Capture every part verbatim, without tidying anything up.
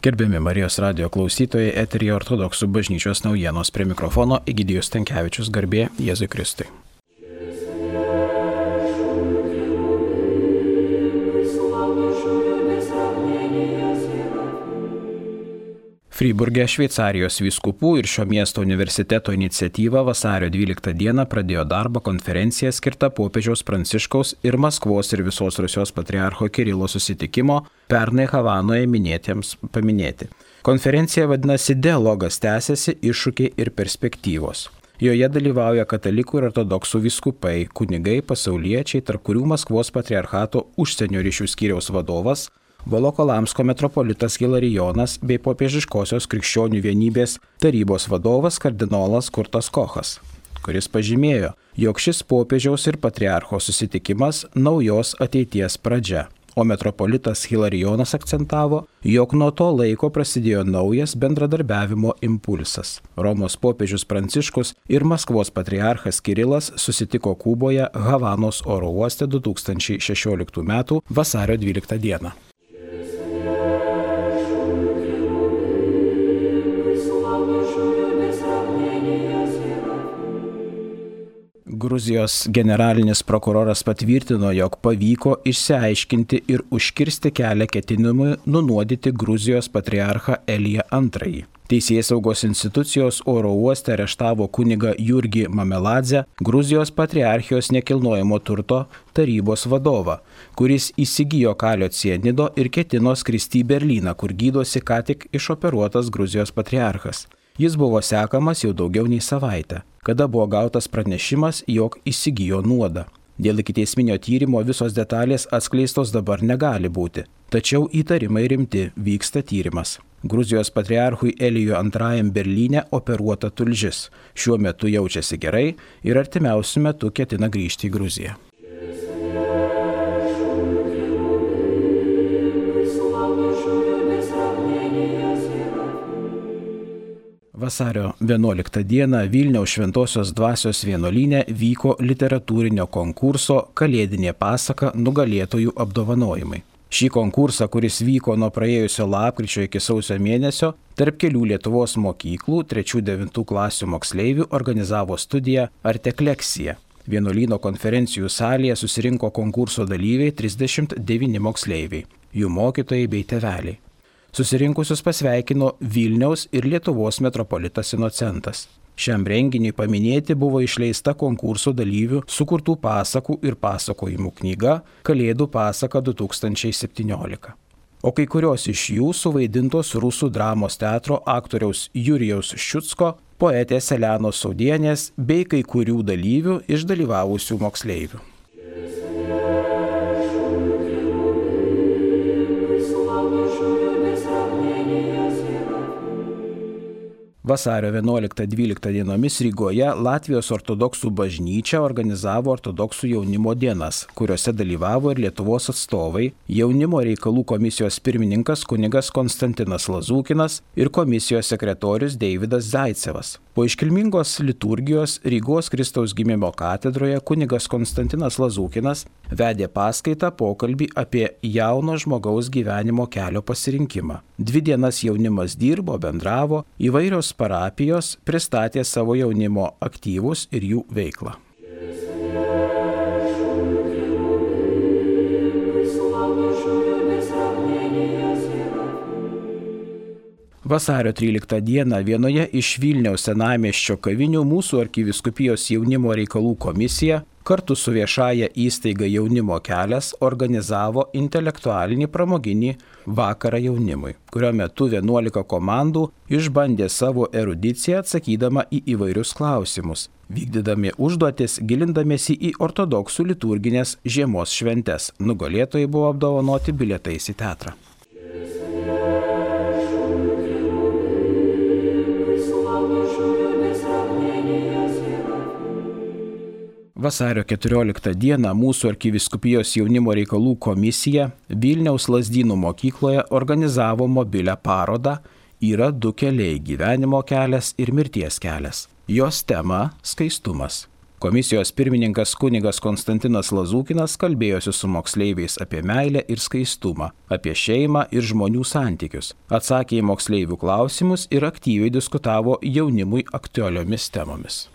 Gerbiami Marijos radijo klausytojai, eteryje Ortodoksų bažnyčios naujienos, prie mikrofono Egidijus Stankevičius, garbė Jėzui Kristui. Fryburge Šveicarijos vyskupų ir šio miesto universiteto iniciatyva vasario dvyliktą dieną pradėjo darbą konferenciją skirtą popiežiaus Pranciškaus ir Maskvos ir visos Rusijos patriarcho Kirilo susitikimo pernai Havanoje minėtiems paminėti. Konferencija vadinasi Dialogas tęsiasi, iššūkiai ir perspektyvos. Joje dalyvauja katalikų ir ortodoksų vyskupai, kunigai, pasauliečiai, tarp kurių Maskvos patriarchato užsienio ryšių skyriaus vadovas, Volokolamsko metropolitas Hilarijonas bei popiežiškosios krikščionių vienybės tarybos vadovas kardinolas Kurtas Kochas, kuris pažymėjo, jog šis popiežiaus ir patriarcho susitikimas naujos ateities pradžia, o metropolitas Hilarijonas akcentavo, jog nuo to laiko prasidėjo naujas bendradarbiavimo impulsas. Romos popiežius Pranciškus ir Maskvos patriarchas Kirilas susitiko Kuboje Havanos oro uoste du tūkstančiai šešioliktų metų vasario dvyliktą dieną. Gruzijos generalinis prokuroras patvirtino, jog pavyko išsiaiškinti ir užkirsti kelią ketinimui nunuodyti Gruzijos patriarchą Eliją antrąjį. Teisėsaugos institucijos oro uoste areštavo kunigą Jurgį Mameladzę, Gruzijos patriarchijos nekilnojamo turto tarybos vadovą, kuris įsigijo kalio cianido ir ketino skristi į Berlyną, kur gydosi ką tik išoperuotas Gruzijos patriarchas. Jis buvo sekamas jau daugiau nei savaitę, kada buvo gautas pranešimas, jog įsigijo nuodą. Dėl ikiteisminio tyrimo visos detalės atskleistos dabar negali būti, tačiau įtarimai rimti, vyksta tyrimas. Gruzijos patriarchui Elijui antrajam Berlyne operuota tulžis. Šiuo metu jaučiasi gerai ir artimiausiu metu ketina grįžti į Gruziją. Vasario vienuoliktą dieną Vilniaus Šventosios dvasios vienuolyne vyko literatūrinio konkurso Kalėdinė pasaka nugalėtojų apdovanojimai. Šį konkursą, kuris vyko nuo praėjusio lapkričio iki sausio mėnesio, tarp kelių Lietuvos mokyklų trečių devintų klasių moksleivių organizavo studija Artekleksija. Vienuolyno konferencijų salėje susirinko konkurso dalyviai trisdešimt devyni moksleiviai, jų mokytojai bei tėveliai. Susirinkusius pasveikino Vilniaus ir Lietuvos metropolitas Inocentas. Šiam renginiui paminėti buvo išleista konkurso dalyvių sukurtų pasakų ir pasakojimų knyga Kalėdų pasaka du tūkstančiai septyniolika. O kai kurios iš jų suvaidintos Rusų dramos teatro aktoriaus Jurijaus Ščiucko, poetės Elenos Saudienės bei kai kurių dalyvių iš dalyvavusių moksleivių. Vasario vienuoliktą dvyliktą dienomis Rygoje Latvijos ortodoksų bažnyčia organizavo ortodoksų jaunimo dienas, kuriuose dalyvavo ir Lietuvos atstovai, jaunimo reikalų komisijos pirmininkas kunigas Konstantinas Lazūkinas ir komisijos sekretorius Deividas Zaicevas. Po iškilmingos liturgijos Rygos Kristaus gimimo katedroje kunigas Konstantinas Lazūkinas vedė paskaitą pokalbį apie jauno žmogaus gyvenimo kelio pasirinkimą. Dvi dienas jaunimas dirbo, bendravo, įvairios parapijos pristatė savo jaunimo aktyvus ir jų veiklą. Vasario tryliktą dieną vienoje iš Vilniaus senamiesčio kavinių mūsų arkivyskupijos jaunimo reikalų komisija kartu su viešąja įstaiga Jaunimo kelias organizavo intelektualinį pramoginį vakarą jaunimui, kurio metu vienuolika komandų išbandė savo erudiciją atsakydama į įvairius klausimus, vykdydami užduotis, gilindamiesi į ortodoksų liturginės žiemos šventes. Nugalėtojai buvo apdovanoti bilietais į teatrą. Vasario keturioliktą dieną mūsų arkivyskupijos jaunimo reikalų komisija Vilniaus Lazdynų mokykloje organizavo mobilią parodą Yra du keliai – gyvenimo kelias ir mirties kelias. Jos tema – skaistumas. Komisijos pirmininkas kunigas Konstantinas Lazūkinas kalbėjosi su moksleiviais apie meilę ir skaistumą, apie šeimą ir žmonių santykius, atsakė į moksleivių klausimus ir aktyviai diskutavo jaunimui aktualiomis temomis.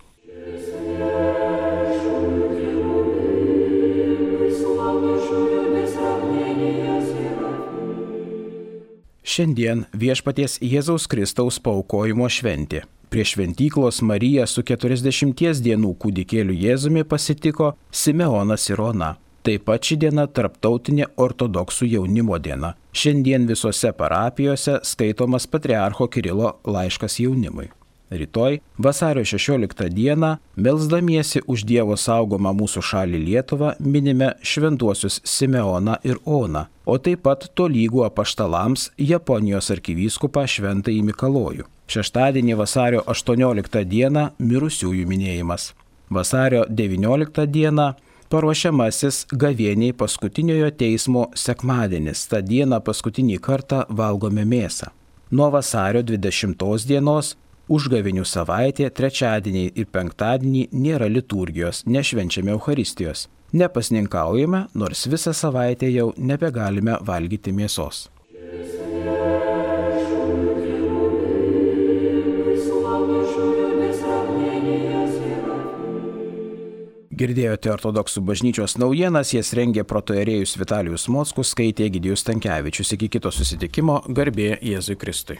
Šiandien Viešpaties Jėzaus Kristaus paaukojimo šventė. Prie šventyklos Mariją su keturiasdešimties dienų kūdikėliu Jėzumi pasitiko Simeonas ir Ona. Taip pat ši diena tarptautinė ortodoksų jaunimo diena. Šiandien visose parapijose skaitomas patriarcho Kirilo laiškas jaunimui. Rytoj, vasario šešioliktą dieną, melsdamiesi už Dievo saugomą mūsų šalį Lietuvą, minime šventuosius Simeoną ir Oną, o taip pat tolygų apaštalams Japonijos arkivyskupą Šventąjį Mikalojų. Šeštadienį vasario aštuonioliktą dieną mirusiųjų minėjimas. Vasario devynioliktą dieną paruošiamasis gavėniai paskutiniojo teismo sekmadienis. Ta diena paskutinį kartą valgome mėsą. Nuo vasario dvidešimtos dienos užgavėnių savaitė, trečiadieniai ir penktadienį nėra liturgijos, nešvenčiame Eucharistijos. Nepasninkaujame, nors visą savaitę jau nebegalime valgyti mėsos. Girdėjote ortodoksų bažnyčios naujienas, jas rengė protoierėjus Vitalijus Mockus, skaitė Egidijus Stankevičius. Iki kito susitikimo, garbė Jėzui Kristui.